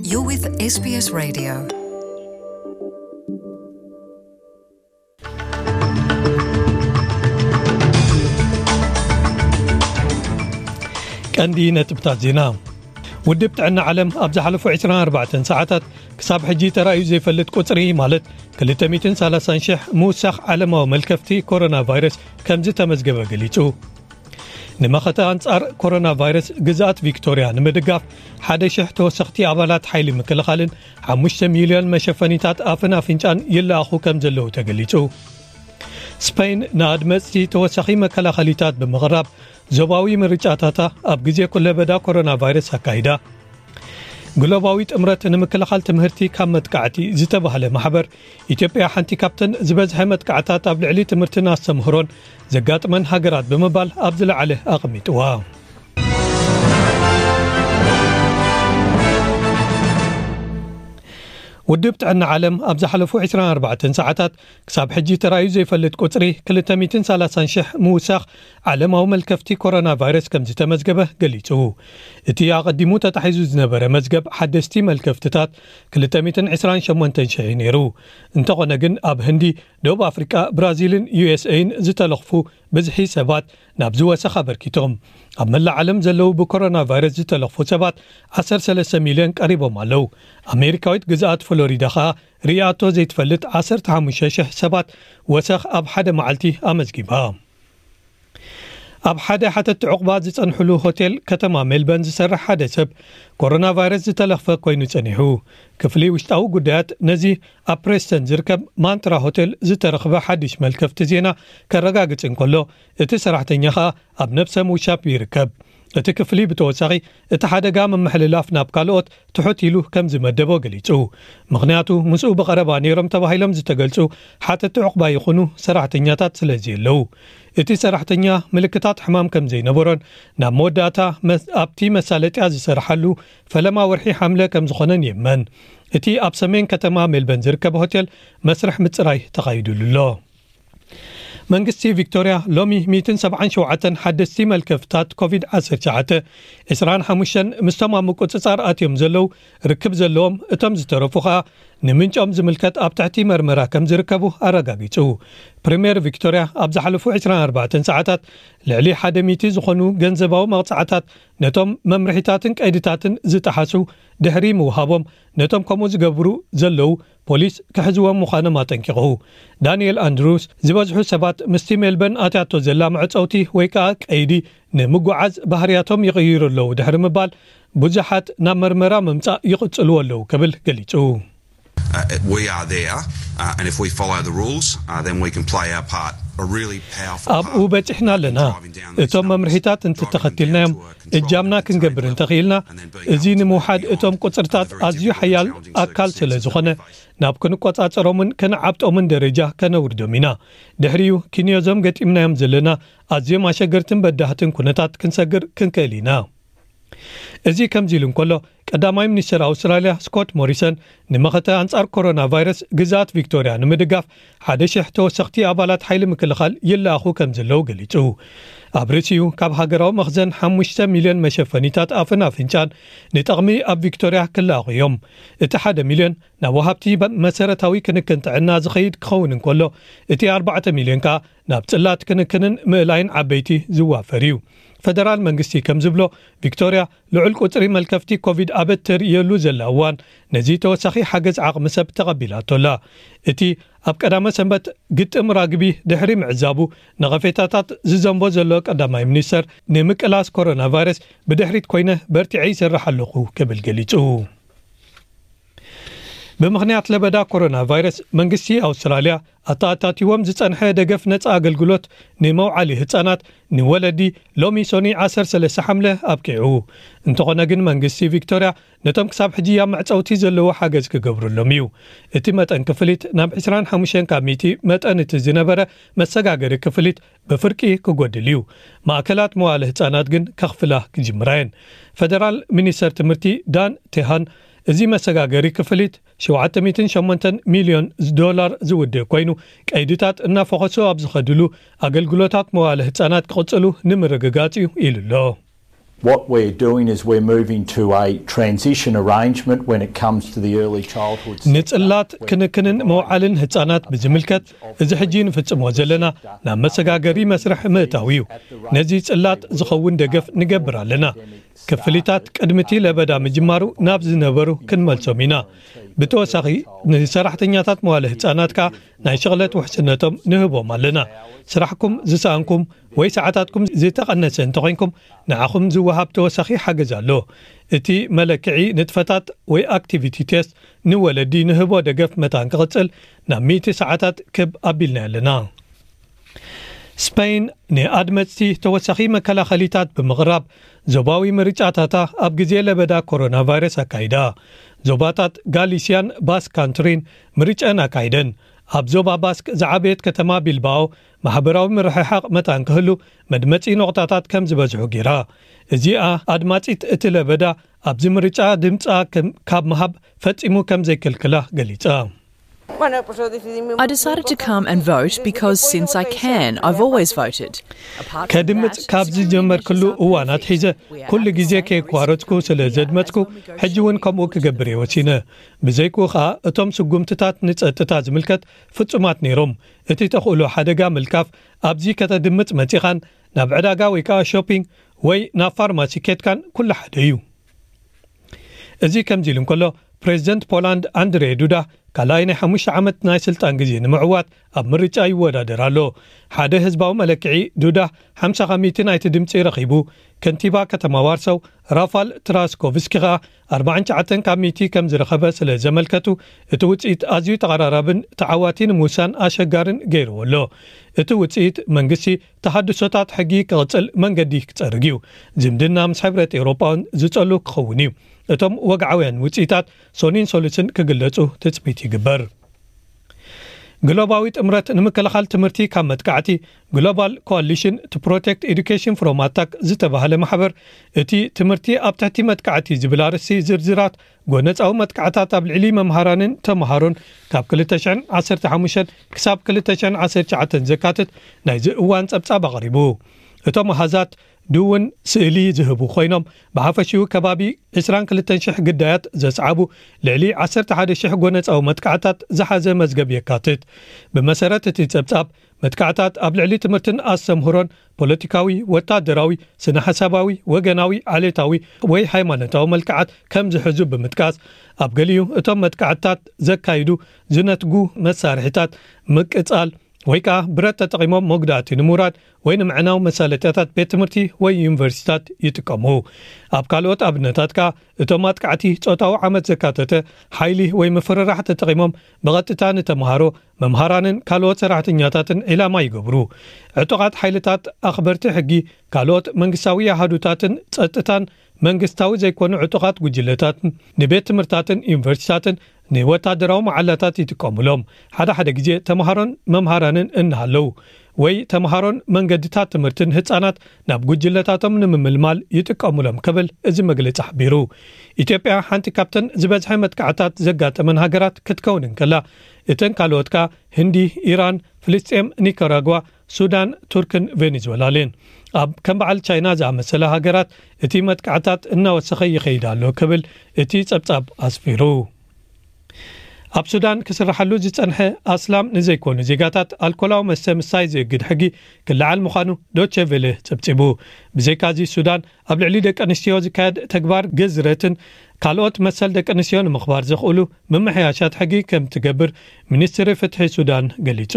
You're with S B S Radio. ቀንዲ ነጥብታት ዜና። ውድብ ጥዕና ዓለም ኣብ ዝሓለፉ ዕስራን ኣርባዕተን ሰዓታት ክሳብ ሕጂ ተራእዩ ዘይፈልጥ ቁጽሪ፣ ማለት ክልተ ሚእትን ሰላሳን ሽሕ ምውሳኽ ዓለማዊ መልከፍቲ ኮሮና ቫይረስ ከም ዝተመዝገበ ገሊጹ። ንመኸተ ኣንጻር ኮሮና ቫይረስ ግዝኣት ቪክቶርያ ንምድጋፍ ሓደ ሽሕ ተወሰኽቲ ኣባላት ሓይሊ ምክልኻልን ሓሙሽተ ሚልዮን መሸፈኒታት ኣፍን ኣፍንጫን ይለኣኹ ከም ዘለዉ ተገሊጹ። ስፐይን ንኣድመጽቲ ተወሳኺ መከላኸሊታት ብምቕራብ ዞባዊ ምርጫታታ ኣብ ግዜ ኩለበዳ ኮሮና ቫይረስ ኣካይዳ። ግሎባዊ ጥምረት ንምክልኻል ትምህርቲ ካብ መጥቃዕቲ ዝተባህለ ማሕበር፣ ኢትዮጵያ ሓንቲ ካብተን ዝበዝሐ መጥቃዕታት ኣብ ልዕሊ ትምህርትን ኣስተምህሮን ዘጋጥመን ሃገራት ብምባል ኣብ ዝለዓለ ኣቐሚጥዋ። ውድብ ጥዕና ዓለም ኣብ ዝሓለፉ ዕስራን ኣርባዕተን ሰዓታት ክሳብ ሕጂ ተራእዩ ዘይፈልጥ ቁጽሪ ክልተ ሚእትን ሰላሳን ሽሕ ምውሳኽ ዓለማዊ መልከፍቲ ኮሮና ቫይረስ ከም ዝተመዝገበ ገሊጹ። እቲ ኣቐዲሙ ተታሒዙ ዝነበረ መዝገብ ሓደስቲ መልከፍትታት ክልተ ሚእትን ዕስራን ሸሞንተን ሽሕ እዩ ነይሩ። እንተኾነ ግን ኣብ ህንዲ፣ ደቡብ ኣፍሪቃ፣ ብራዚልን ዩ ኤስ ኤን ዝተለኽፉ ብዝሒ ሰባት ናብዚ ወሰኽ ኣበርኪቶም። ኣብ መላእ ዓለም ዘለዉ ብኮሮና ቫይረስ ዝተለኽፉ ሰባት ዓሰርተ ሰለስተ ሚልዮን ቀሪቦም ኣለዉ። ኣሜሪካዊት ግዝኣት ፍሎሪዳ ኸኣ ርእያቶ ዘይትፈልጥ ዓሰርተ ሓሙሽተ ሽሕ ሰባት ወሰኽ ኣብ ሓደ መዓልቲ ኣመዝጊባ። ኣብ ሓደ ሓተቲ ዕቑባ ዝጸንሕሉ ሆቴል ከተማ ሜልበርን ዝሰርሕ ሓደ ሰብ ኮሮና ቫይረስ ዝተለኽፈ ኮይኑ ጸኒሑ። ክፍሊ ውሽጣዊ ጉዳያት ነዚ ኣብ ፕሬስተን ዝርከብ ማንትራ ሆቴል ዝተረኽበ ሓድሽ መልከፍቲ ዜና ከረጋግጽ እንከሎ፣ እቲ ሰራሕተኛ ኸኣ ኣብ ነብሰ ምውሻብ ይርከብ። እቲ ክፍሊ ብተወሳኺ፣ እቲ ሓደጋ ምምሕልላፍ ናብ ካልኦት ትሑት ኢሉ ከም ዝመደቦ ገሊጹ። ምኽንያቱ፣ ምስኡ ብቐረባ ነይሮም ተባሂሎም ዝተገልጹ ሓተቲ ዕቑባ ይኹኑ ሰራሕተኛታት ስለ ዘየለዉ። እቲ ሰራሕተኛ ምልክታት ሕማም ከም ዘይነበሮን ናብ መወዳእታ መስ-፣ ኣብቲ መሳለጥያ ዝሰርሓሉ ፈለማ ወርሒ ሓምለ ከም ዝኾነን ይእመን። እቲ ኣብ ሰሜን ከተማ ሜልበርን ዝርከብ ሆቴል መስርሕ ምጽራይ ተኻይዱሉ ኣሎ። መንግስቲ ቪክቶርያ ሎሚ ሚእትን ሰብዓን ሸውዓተን ሓደስቲ መልከፍታት ኮቪድ ዓሰርተ ትሽዓተ፣ ዕስራን ሓሙሽተን ምስቶም ኣብ ምቁጽጻር ኣትዮም ዘለዉ ርክብ ዘለዎም፣ እቶም ዝተረፉ ኸኣ ንምንጮም ዝምልከት ኣብ ትሕቲ መርመራ ከም ዝርከቡ ኣረጋጊጹ። ፕሪምየር ቪክቶርያ ኣብ ዝሓለፉ ዕስራን ኣርባዕተን ሰዓታት ልዕሊ ሓደ ሚእቲ ዝኾኑ ገንዘባዊ መቕጻዕታት ነቶም መምርሒታትን ቀይድታትን ዝጠሓሱ ድሕሪ ምውሃቦም፣ ነቶም ከምኡ ዝገብሩ ዘለዉ ፖሊስ ክሕዝዎም ምዃኖም ኣጠንቂቑ። ዳንኤል ኣንድሩስ፣ ዝበዝሑ ሰባት ምስቲ ሜልበርን ኣትያቶ ዘላ መዕጸውቲ ወይ ከኣ ቀይዲ ንምጉዓዝ ባህርያቶም ይቕይሩ ኣለዉ ድሕሪ ምባል፣ ብዙሓት ናብ መርመራ ምምጻእ ይቕጽሉ ኣለዉ ክብል ገሊጹ። Uh, we are there, uh, and if we follow the rules, uh, then we can play our part, a really powerful ኣብኡ part በጺሕና in ኣለና። Driving down these እቶም numbers, መምርሒታት driving them እንተተኸቲልናዮም፣ down to a controlled እጃምና and ክንገብር contained እንተኽኢልና፣ level, and then እዚ come into ንምውሓድ beyond እቶም ቁጽርታት the very ኣዝዩ difficult ሓያል and challenging ኣካል ስለ circumstances ዝኾነ፣ we face. ናብ ክንቆጻጸሮምን ክንዓብጦምን ደረጃ ከነውርዶም ኢና። ድሕሪኡ፣ ክንዮዞም ገጢምናዮም ዘለና ኣዝዮም ኣሸገርትን በዳህትን ኩነታት ክንሰግር ክንክእል ኢና። እዚ ከምዚ ኢሉ እንከሎ፣ ቀዳማይ ሚኒስተር ኣውስትራልያ ስኮት ሞሪሰን፣ ንመኸተ ኣንጻር ኮሮና ቫይረስ ግዝኣት ቪክቶርያ ንምድጋፍ ሓደ ሽሕ ተወሰኽቲ ኣባላት ሓይሊ ምክልኻል ይለኣኹ ከም ዘለዉ ገሊጹ። ኣብ ርእሲኡ፣ ካብ ሃገራዊ መኽዘን ሓሙሽተ ሚልዮን መሸፈኒታት ኣፍን ኣፍንጫን ንጠቕሚ ኣብ ቪክቶርያ ክለኣኹ እዮም። እቲ ሓደ ሚልዮን ናብ ወሃብቲ በ-፣ መሰረታዊ ክንክን ጥዕና ዝኸይድ ክኸውን እንከሎ፣ እቲ ኣርባዕተ ሚልዮን ከኣ ናብ ጽላት ክንክንን ምእላይን ዓበይቲ ዝዋፈር እዩ። ፈደራል መንግስቲ ከም ዝብሎ፣ ቪክቶርያ ልዑል ቁጽሪ መልከፍቲ ኮቪድ ኣብ እትርእየሉ ዘላ እዋን፣ ነዚ ተወሳኺ ሓገዝ ዓቕሚ ሰብ ተቐቢላቶ ኣላ። እቲ ኣብ ቀዳመ ሰንበት ግጥም ራግቢ ድሕሪ ምዕዛቡ፣ ነቐፌታታት ዝዘንቦ ዘሎ ቀዳማይ ሚኒስተር፣ ንምቅላስ ኮሮና ቫይረስ ብድሕሪት ኮይነ በርቲዐ ይሰርሕ ኣለኹ ክብል ገሊጹ። ብምኽንያት ለበዳ ኮሮና ቫይረስ፣ መንግስቲ ኣውስትራልያ ኣተኣታቲዎም ዝጸንሐ ደገፍ ነጻ ኣገልግሎት ንመውዓሊ ህጻናት ንወለዲ ሎሚ ሶኒ ዓሰርተ ሰለስተ ሓምለ ኣብቂዑ። እንተኾነ ግን፣ መንግስቲ ቪክቶርያ ነቶም ክሳብ ሕጂ ኣብ መዕጸውቲ ዘለዉ ሓገዝ ክገብረሎም እዩ። እቲ መጠን ክፍሊት ናብ ዕስራን ሓሙሽተን ካብ ሚእቲ መጠን እቲ ዝነበረ መሰጋገሪ ክፍሊት ብፍርቂ ክጎድል እዩ። ማእከላት መዋለ ህጻናት ግን ከኽፍላ ክጅምራ እየን። ፈደራል ሚኒስተር ትምህርቲ ዳን ቴሃን፣ እዚ መሰጋገሪ ክፍሊት ሸውዓተ ሚእትን ሸሞንተን ሚልዮን ዶላር ዝውድእ ኮይኑ፣ ቀይድታት እናፈኾሱ ኣብ ዝኸድሉ፣ ኣገልግሎታት መዋለ ህጻናት ክቕጽሉ ንምርግጋጽ እዩ ኢሉ ኣሎ። What we're doing is we're moving to a transition arrangement when it comes to the early childhood sector. ንጽላት ክንክንን መውዓልን ህጻናት ብዝምልከት፣ እዚ ሕጂ ንፍጽሞ ዘለና ናብ መሰጋገሪ መስርሕ ምእታው እዩ። ነዚ ጽላት ዝኸውን ደገፍ ንገብር ኣለና። ክፍሊታት ቅድሚ እቲ ለበዳ ምጅማሩ ናብ ዝነበሩ ክንመልሶም ኢና። ብተወሳኺ፣ ንሰራሕተኛታት መዋለ ህጻናት ከኣ ናይ ሽቕለት ውሕስነቶም ንህቦም ኣለና። ስራሕኩም ዝሰኣንኩም ወይ ሰዓታትኩም ዝተቐነሰ እንተኾይንኩም፣ ንዓኹም ዝወሃብ ተወሳኺ ሓገዝ ኣሎ። እቲ መለክዒ ንጥፈታት ወይ ኣክቲቪቲ ቴስት ንወለዲ ንህቦ ደገፍ መታን ክቕጽል ናብ ሚእቲ ሰዓታት ክብ ኣቢልና ኣለና። ስፐይን ንኣድመጽቲ ተወሳኺ መከላኸሊታት ብምቕራብ፣ ዞባዊ ምርጫታታ ኣብ ግዜ ለበዳ ኮሮና ቫይረስ ኣካይዳ። ዞባታት ጋሊስያን ባስክ ካንትሪን ምርጫን ኣካይደን። ኣብ ዞባ ባስክ ዝዓበየት ከተማ ቢልባኦ፣ ማሕበራዊ ምርሕሓቕ መታን ክህሉ፣ መድመጺ ነቑጣታት ከም ዝበዝሑ ገይራ። እዚኣ ኣድማጺት እቲ ለበዳ ኣብዚ ምርጫ ድምጻ ከም-፣ ካብ ምሃብ ፈጺሙ ከም ዘይክልክላ ገሊጻ። I decided to come and vote because since I can, I've always voted. ከድምጽ ካብ ዝጀመርክሉ እዋን ኣትሒዘ ኩሉ ግዜ ከየቋረጽኩ ስለ ዘድመጽኩ፣ ሕጂ እውን ከምኡ ክገብር እየ ወሲነ። ብዘይክኡ ኸኣ፣ እቶም ስጉምትታት ንጸጥታ ዝምልከት ፍጹማት ነይሮም። እቲ ተኽእሎ ሓደጋ ምልካፍ፣ ኣብዚ ከተድምጽ መጺኻን ናብ ዕዳጋ ወይ ከኣ ሾፒንግ ወይ ናብ ፋርማሲ ኬድካን ኩሉ ሓደ እዩ። እዚ ከምዚ ኢሉ እንከሎ፣ ፕሬዚደንት ፖላንድ ኣንድሬ ዱዳ ካልኣይ ናይ ሓሙሽተ ዓመት ናይ ስልጣን ግዜ ንምዕዋት ኣብ ምርጫ ይወዳደር ኣሎ። ሓደ ህዝባዊ መለክዒ፣ ዱዳ ሓምሳ ካብ ሚእቲ ናይቲ ድምፂ ረኺቡ። ከንቲባ ከተማ ዋርሳው ራፋል ትራስኮቭስኪ ኸኣ ኣርባዓን ትሽዓተን ካብ ሚእቲ ከም ዝረኸበ ስለ ዘመልከቱ፣ እቲ ውፅኢት ኣዝዩ ተቐራራብን ተዓዋቲ ንምውሳን ኣሸጋርን ገይርዎ ኣሎ። እቲ ውፅኢት መንግስቲ ተሃድሶታት ሕጊ ክቕጽል መንገዲ ክጸርግ እዩ። ዝምድና ምስ ሕብረት ኤውሮጳ እውን ዝጸሉ ክኸውን እዩ። እቶም ወግዓውያን ውጽኢታት ሶኒን ሶሉስን ክግለጹ ትጽቢት ይግበር። ግሎባዊ ጥምረት ንምክልኻል ትምህርቲ ካብ መጥቃዕቲ፣ ግሎባል ኮኣሊሽን ቱ ፕሮቴክት ኤዱኬሽን ፍሮም ኣታክ ዝተባህለ ማሕበር፣ እቲ ትምህርቲ ኣብ ትሕቲ መጥቃዕቲ ዝብል ኣርእስቲ ዝርዝራት ጎነጻዊ መጥቃዕታት ኣብ ልዕሊ መምሃራንን ተምሃሮን ካብ ክልተ ሽሕን ዓሰርተ ሓሙሽተን ክሳብ ክልተ ሽሕን ዓሰርተ ትሽዓተን ዘካትት ናይዚ እዋን ጸብጻብ ኣቕሪቡ። እቶም ኣሃዛት ድውን ስእሊ ዝህቡ ኮይኖም፣ ብሓፈሽኡ ከባቢ ዕስራን ክልተን ሽሕ ግዳያት ዘስዓቡ ልዕሊ ዓሰርተ ሓደ ሽሕ ጎነጻዊ መጥቃዕታት ዝሓዘ መዝገብ የካትት። ብመሰረት እቲ ጸብጻብ፣ መጥቃዕታት ኣብ ልዕሊ ትምህርትን ኣስተምህሮን ፖለቲካዊ፣ ወታደራዊ፣ ስነ-ሓሳባዊ፣ ወገናዊ፣ ዓሌታዊ ወይ ሃይማኖታዊ መልክዓት ከም ዝሕዙ ብምጥቃስ፣ ኣብ ገሊኡ እቶም መጥቃዕታት ዘካይዱ ዝነትጉ መሳርሒታት ምቅጻል ወይ ከኣ ብረት ተጠቒሞም መጉዳእቲ ንምውራድ ወይ ንምዕናው መሳለጥያታት ቤት ትምህርቲ ወይ ዩኒቨርሲቲታት ይጥቀሙ። ኣብ ካልኦት ኣብነታት ከኣ እቶም ኣጥቃዕቲ ጾታዊ ዓመት ዘካተተ ሓይሊ ወይ ምፍርራሕ ተጠቒሞም ብቐጥታ ንተምሃሮ፣ መምሃራንን ካልኦት ሰራሕተኛታትን ዒላማ ይገብሩ። ዕጡቓት ሓይልታት ኣኽበርቲ ሕጊ፣ ካልኦት መንግስታዊ ኣሃዱታትን ጸጥታን መንግስታዊ ዘይኮኑ ዕጡቓት ጉጅለታትን ንቤት ትምህርታትን ዩኒቨርሲቲታትን ንወታደራዊ መዓላታት ይጥቀሙሎም። ሓደ ሓደ ግዜ ተምሃሮን መምሃራንን እናሃለዉ ወይ ተምሃሮን መንገድታት ትምህርትን ህጻናት ናብ ጉጅለታቶም ንምምልማል ይጥቀሙሎም ክብል እዚ መግለጺ ሓቢሩ። ኢትዮጵያ ሓንቲ ካብተን ዝበዝሐ መጥቃዕታት ዘጋጠመን ሃገራት ክትከውን እንከላ፣ እተን ካልኦት ከኣ ህንዲ፣ ኢራን፣ ፍልስጤም፣ ኒካራጓ፣ ሱዳን፣ ቱርክን ቬኔዙዌላን እየን። ኣብ ከም በዓል ቻይና ዝኣመሰላ ሃገራት እቲ መጥቃዕታት እናወሰኸ ይኸይድ ኣሎ ክብል እቲ ጸብጻብ ኣስፊሩ። ኣብ ሱዳን ክስርሓሉ ዝጸንሐ ኣስላም ንዘይኮኑ ዜጋታት ኣልኮላዊ መስተ ምስታይ ዝእግድ ሕጊ ክለዓል ምዃኑ ዶቼ ቬለ ጸብጺቡ። ብዘይካዚ ሱዳን ኣብ ልዕሊ ደቂ ኣንስትዮ ዝካየድ ተግባር ግዝረትን ካልኦት መሰል ደቂ ኣንስትዮ ንምኽባር ዘኽእሉ ምምሕያሻት ሕጊ ከም ትገብር ሚኒስትሪ ፍትሒ ሱዳን ገሊጹ።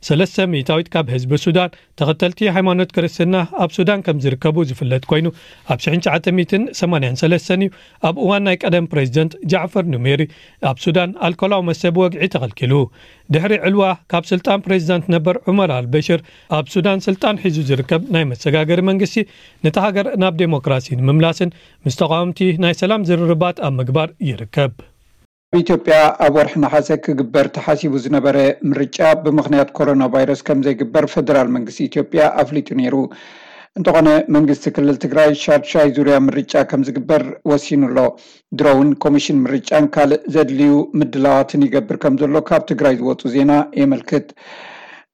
ሰለስተ ሚእታዊት ካብ ህዝቢ ሱዳን ተኸተልቲ ሃይማኖት ክርስትና ኣብ ሱዳን ከም ዝርከቡ ዝፍለጥ ኮይኑ፣ ኣብ ሽሕን ትሽዓተ ሚእትን ሰማንያን ሰለስተን እዩ ኣብ እዋን ናይ ቀደም ፕሬዚደንት ጃዕፈር ኑሜሪ ኣብ ሱዳን ኣልኮላዊ መስተ ብወግዒ ተኸልኪሉ። ድሕሪ ዕልዋ ካብ ስልጣን ፕሬዚዳንት ነበር ዑመር ኣልበሽር ኣብ ሱዳን ስልጣን ሒዙ ዝርከብ ናይ መሰጋገሪ መንግስቲ ነታ ሃገር ናብ ዴሞክራሲ ንምምላስን ምስ ተቓወምቲ ናይ ሰላም ዝርርባት ኣብ ምግባር ይርከብ። ኣብ ኢትዮጵያ ኣብ ወርሒ ነሓሰ ክግበር ተሓሲቡ ዝነበረ ምርጫ ብምኽንያት ኮሮና ቫይረስ ከም ዘይግበር ፈደራል መንግስቲ ኢትዮጵያ ኣፍሊጡ ነይሩ። እንተኾነ መንግስቲ ክልል ትግራይ ሻድሻይ ዙርያ ምርጫ ከም ዝግበር ወሲኑ ኣሎ። ድሮ እውን ኮሚሽን ምርጫን ካልእ ዘድልዩ ምድላዋትን ይገብር ከም ዘሎ ካብ ትግራይ ዝወፁ ዜና የመልክት።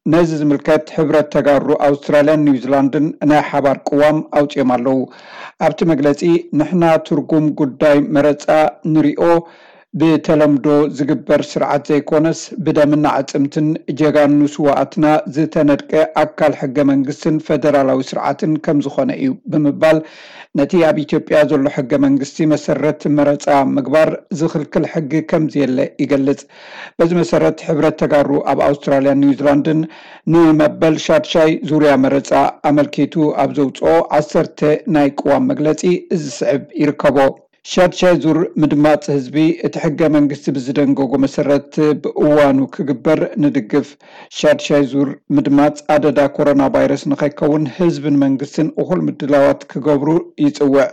ነዚ ዝምልከት ሕብረት ተጋሩ ኣውስትራልያን ኒውዚላንድን ናይ ሓባር ቅዋም ኣውፅኦም ኣለዉ። ኣብቲ መግለፂ፣ ንሕና ትርጉም ጉዳይ መረፃ ንሪኦ ብተለምዶ ዝግበር ስርዓት ዘይኮነስ፣ ብደምና ዕፅምትን ጀጋኑ ስዋኣትና ዝተነድቀ ኣካል ሕገ መንግስትን ፈደራላዊ ስርዓትን ከም ዝኾነ እዩ ብምባል፣ ነቲ ኣብ ኢትዮጵያ ዘሎ ሕገ መንግስቲ መሰረት መረፃ ምግባር ዝኽልክል ሕጊ ከም ዘየለ ይገልጽ። በዚ መሰረት፣ ሕብረት ተጋሩ ኣብ ኣውስትራልያን ኒውዚላንድን ንመበል ሻድሻይ ዙርያ መረፃ ኣመልኪቱ ኣብ ዘውፅኦ ዓሰርተ ናይ ቅዋም መግለፂ እዚ ስዕብ ይርከቦ። ሻድሻይ ዙር ምድማፅ ህዝቢ፣ እቲ ሕገ መንግስቲ ብዝደንገጎ መሰረት ብእዋኑ ክግበር ንድግፍ። ሻድሻይ ዙር ምድማፅ ኣደዳ ኮሮና ቫይረስ ንኸይከውን ህዝብን መንግስትን እኹል ምድላዋት ክገብሩ ይፅውዕ።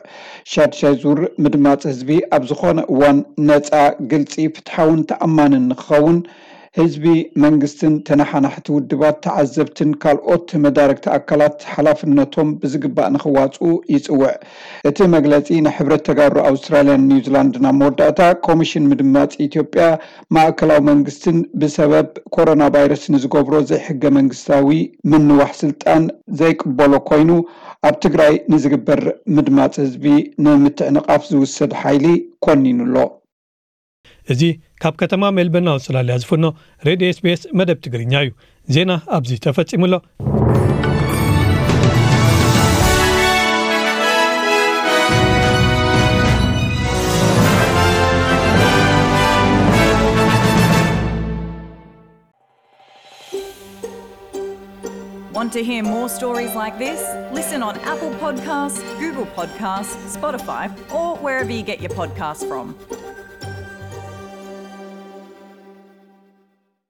ሻድሻይ ዙር ምድማፅ ህዝቢ ኣብ ዝኾነ እዋን ነፃ፣ ግልፂ፣ ፍትሓውን ተኣማንን ንክኸውን ህዝቢ፣ መንግስትን ተነሓናሕቲ ውድባት፣ ተዓዘብትን ካልኦት መዳርግቲ ኣካላት ሓላፍነቶም ብዝግባእ ንክዋፅኡ ይፅውዕ። እቲ መግለፂ ንሕብረት ተጋሩ ኣውስትራልያን ኒውዚላንድን ኣብ መወዳእታ፣ ኮሚሽን ምድማፅ ኢትዮጵያ ማእከላዊ መንግስትን ብሰበብ ኮሮና ቫይረስ ንዝገብሮ ዘይሕገ መንግስታዊ ምንዋሕ ስልጣን ዘይቅበሎ ኮይኑ፣ ኣብ ትግራይ ንዝግበር ምድማፅ ህዝቢ ንምትዕንቓፍ ዝውሰድ ሓይሊ ኮኒኑ ኣሎ። እዚ ካብ ከተማ ሜልበርን ኣውስትራልያ ዝፍኖ ሬድዮ ኤስቢኤስ መደብ ትግርኛ እዩ። ዜና ኣብዚ ተፈጺሙ ኣሎ። Want to hear more stories like this? Listen on Apple Podcasts, Google Podcasts, Spotify, or wherever you get your podcasts from.